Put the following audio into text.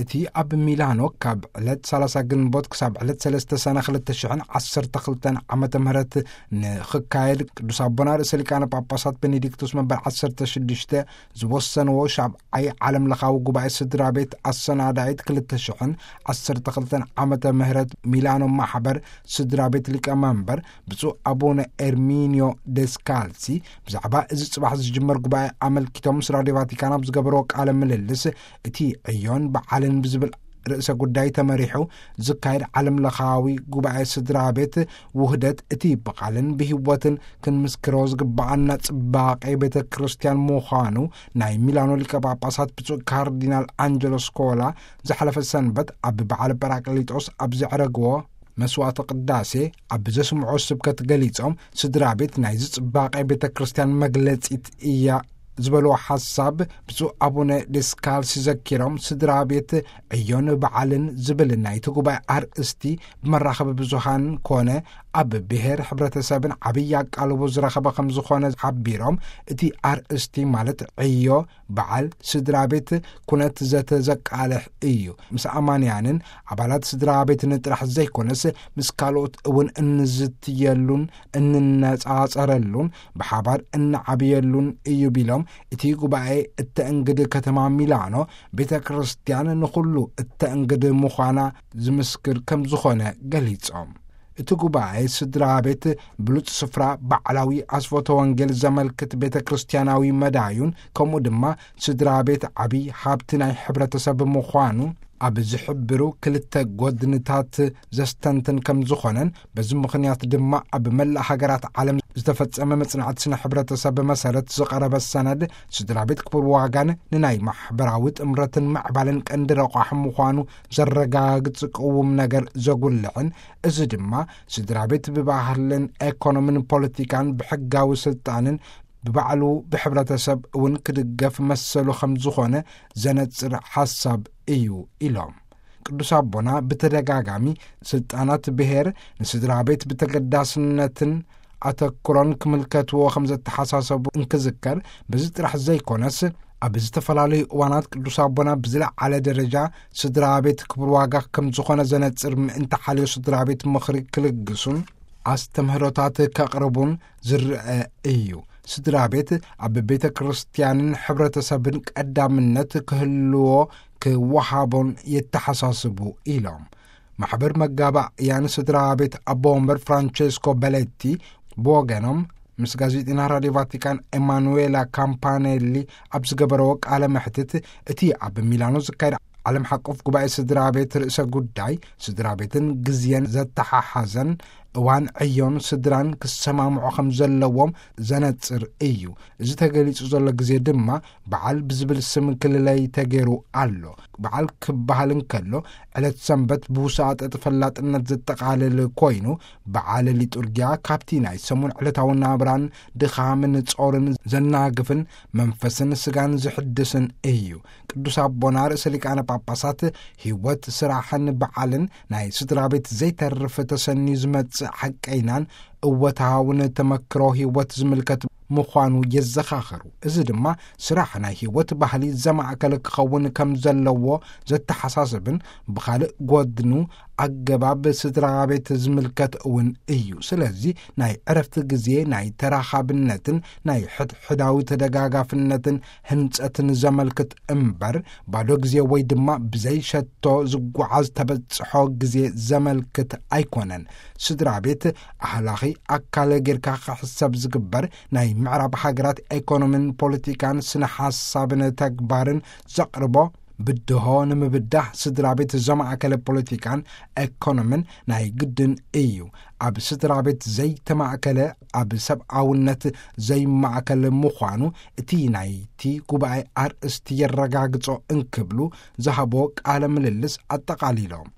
እቲ ኣብ ሚላኖ ካብ ዕለት ሰላሳ ግንቦት ክሳብ ዕለት ሰለስተ ሰነ ክልተ ሽሕን ዓሰርተ ክልተን ዓመተ ምህረት ንኽካየድ ቅዱስ ኣቦና ርእሰ ሊቃነ ጳጳሳት ቤኔዲክቶስ መንበር ዓሰርተ ሽዱሽተ ዝወሰንዎ ሻብዓይ ዓለም ለኻዊ ጉባኤ ስድራ ቤት ኣሰናዳይት ክልተ ሽሕን ዓሰርተ ክልተን ዓመተ ምህረት ሚላኖ ማሕበር ስድራ ቤት ሊቀ መንበር ብፁዕ ኣቡነ ኤርሚኒዮ ደስካልሲ ብዛዕባ እዚ ጽባሕ ዝጅመር ጉባኤ ኣመልኪቶም ምስ ራድዮ ቫቲካን ኣብ ዝገበርዎ ቃለ ምልልስ፣ እቲ ዕዮን በዓልን ብዝብል ርእሰ ጉዳይ ተመሪሑ ዝካየድ ዓለም ለኻዊ ጉባኤ ስድራ ቤት ውህደት፣ እቲ ብቓልን ብህይወትን ክንምስክሮ ዝግብኣና ጽባቄ ቤተ ክርስቲያን ምዃኑ ናይ ሚላኖ ሊቀ ጳጳሳት ብፁዕ ካርዲናል ኣንጀሎ ስኮላ ዝሓለፈ ሰንበት ኣብ በዓል ጳራቅሊጦስ ኣብ ዘዕረግዎ መስዋዕተ ቅዳሴ ኣብ ዘስምዖ ስብከት ገሊጾም፣ ስድራ ቤት ናይዚ ጽባቄ ቤተ ክርስቲያን መግለጺት እያ ዝበልዎ ሓሳብ ብፁዕ ኣቡነ ዲስካልሲ ዘኪሮም፣ ስድራ ቤት ዕዮን በዓልን ዝብል ናይቲ ጉባኤ ኣርእስቲ ብመራኸቢ ብዙሃን ኮነ ኣብ ብሔር ሕብረተሰብን ዓብዪ ኣቃልቦ ዝረኸበ ከም ዝኾነ ሓቢሮም፣ እቲ ኣርእስቲ ማለት ዕዮ በዓል ስድራ ቤት ኩነት ዘተ ዘቃልሕ እዩ። ምስ ኣማንያንን ኣባላት ስድራ ቤትን ጥራሕ ዘይኮነስ፣ ምስ ካልኦት እውን እንዝትየሉን እንነጻጸረሉን ብሓባር እንዓብየሉን እዩ ቢሎም፣ እቲ ጉባኤ እተእንግድ ከተማ ሚላኖ ቤተ ክርስቲያን ንኹሉ እተእንግድ ምዃና ዝምስክር ከም ዝኾነ ገሊጾም። እቲ ጉባኤ ስድራ ቤት ብሉጽ ስፍራ ባዕላዊ ኣስፎተ ወንጌል ዘመልክት ቤተ ክርስቲያናዊ መዳዩን፣ ከምኡ ድማ ስድራ ቤት ዓቢ ሃብቲ ናይ ሕብረተሰብ ምዃኑ ኣብ ዝሕብሩ ክልተ ጎድንታት ዘስተንትን ከም ዝኾነን፣ በዚ ምኽንያት ድማ ኣብ መላእ ሃገራት ዓለም ዝተፈጸመ መጽናዕቲ ስነ ሕብረተሰብ መሰረት ዝቐረበ ሰነድ ስድራ ቤት ክቡር ዋጋን ንናይ ማሕበራዊ ጥምረትን ምዕባለን ቀንዲ ረቋሒ ምዃኑ ዘረጋግጽ ቅዉም ነገር ዘጉልሕን፣ እዚ ድማ ስድራ ቤት ብባህልን ኤኮኖምን ፖለቲካን ብሕጋዊ ስልጣንን ብባዕሉ ብሕብረተሰብ እውን ክድገፍ መሰሉ ከም ዝኾነ ዘነጽር ሓሳብ እዩ ኢሎም። ቅዱስ ኣቦና ብተደጋጋሚ ስልጣናት ብሔር ንስድራ ቤት ብተገዳስነትን ኣተኩሮን ክምልከትዎ ከም ዘተሓሳሰቡ እንክዝከር፣ በዚ ጥራሕ ዘይኮነስ ኣብ ዝተፈላለዩ እዋናት ቅዱስ ኣቦና ብዝለዓለ ደረጃ ስድራ ቤት ክቡር ዋጋ ከም ዝኾነ ዘነጽር ምእንቲ ሓልዮ ስድራ ቤት ምኽሪ ክልግሱን ኣስተምህሮታት ከቕርቡን ዝረአ እዩ። ስድራ ቤት ኣብ ቤተ ክርስቲያንን ሕብረተሰብን ቀዳምነት ክህልዎ ክወሃቦን የተሓሳስቡ ኢሎም። ማሕበር መጋባእያን ስድራ ቤት ኣቦ ወንበር ፍራንቸስኮ በሌቲ ብወገኖም ምስ ጋዜጠኛ ራድዮ ቫቲካን ኤማኑዌላ ካምፓኔሊ ኣብ ዝገበረዎ ቃለ መሕትት፣ እቲ ኣብ ሚላኖ ዝካየድ ዓለም ሓቆፍ ጉባኤ ስድራ ቤት ርእሰ ጉዳይ ስድራ ቤትን ግዜን ዘተሓሓዘን እዋን ዕዮን ስድራን ክሰማምዑ ከም ዘለዎም ዘነጽር እዩ። እዚ ተገሊጹ ዘሎ ግዜ ድማ በዓል ብዝብል ስም ክልለይ ተገይሩ ኣሎ። በዓል ክበሃል እንከሎ ዕለት ሰንበት ብውሳጠ ተፈላጥነት ዘጠቓልል ኮይኑ፣ በዓል ሊጡርጊያ ካብቲ ናይ ሰሙን ዕለታዊ ናብራን ድኻምን ጾርን ዘናግፍን መንፈስን ስጋን ዝሕድስን እዩ። ቅዱስ ኣቦና ርእሰ ሊቃነ ጳጳሳት ህይወት ስራሕን በዓልን ናይ ስድራ ቤት ዘይተርፍ ተሰንዩ ዝመጽእ ሓቀይናን እወታውን ተመክሮ ህይወት ዝምልከት ምዃኑ የዘኻኸሩ። እዚ ድማ ስራሕ ናይ ህይወት ባህሊ ዘማእከለ ክኸውን ከም ዘለዎ ዘተሓሳስብን፣ ብኻልእ ጎድኑ ኣገባብ ስድራ ቤት ዝምልከት እውን እዩ። ስለዚ ናይ ዕረፍቲ ግዜ ናይ ተራኻብነትን ናይ ሕድሕዳዊ ተደጋጋፍነትን ህንጸትን ዘመልክት እምበር፣ ባዶ ግዜ ወይ ድማ ብዘይ ሸቶ ዝጓዓዝ ተበጽሖ ግዜ ዘመልክት ኣይኮነን። ስድራ ቤት ኣህላኺ ኣካል ጌርካ ክሕሰብ ዝግበር፣ ናይ ምዕራብ ሃገራት ኤኮኖምን ፖለቲካን ስነ ሓሳብን ተግባርን ዘቕርቦ ብድሆ ንምብዳህ ስድራ ቤት ዘማእከለ ፖለቲካን ኤኮኖምን ናይ ግድን እዩ። ኣብ ስድራ ቤት ዘይተማእከለ ኣብ ሰብኣውነት ዘይማእከል ምዃኑ እቲ ናይቲ ጉባኤ ኣርእስቲ የረጋግጾ እንክብሉ ዝሃቦ ቃለ ምልልስ ኣጠቓሊሎም።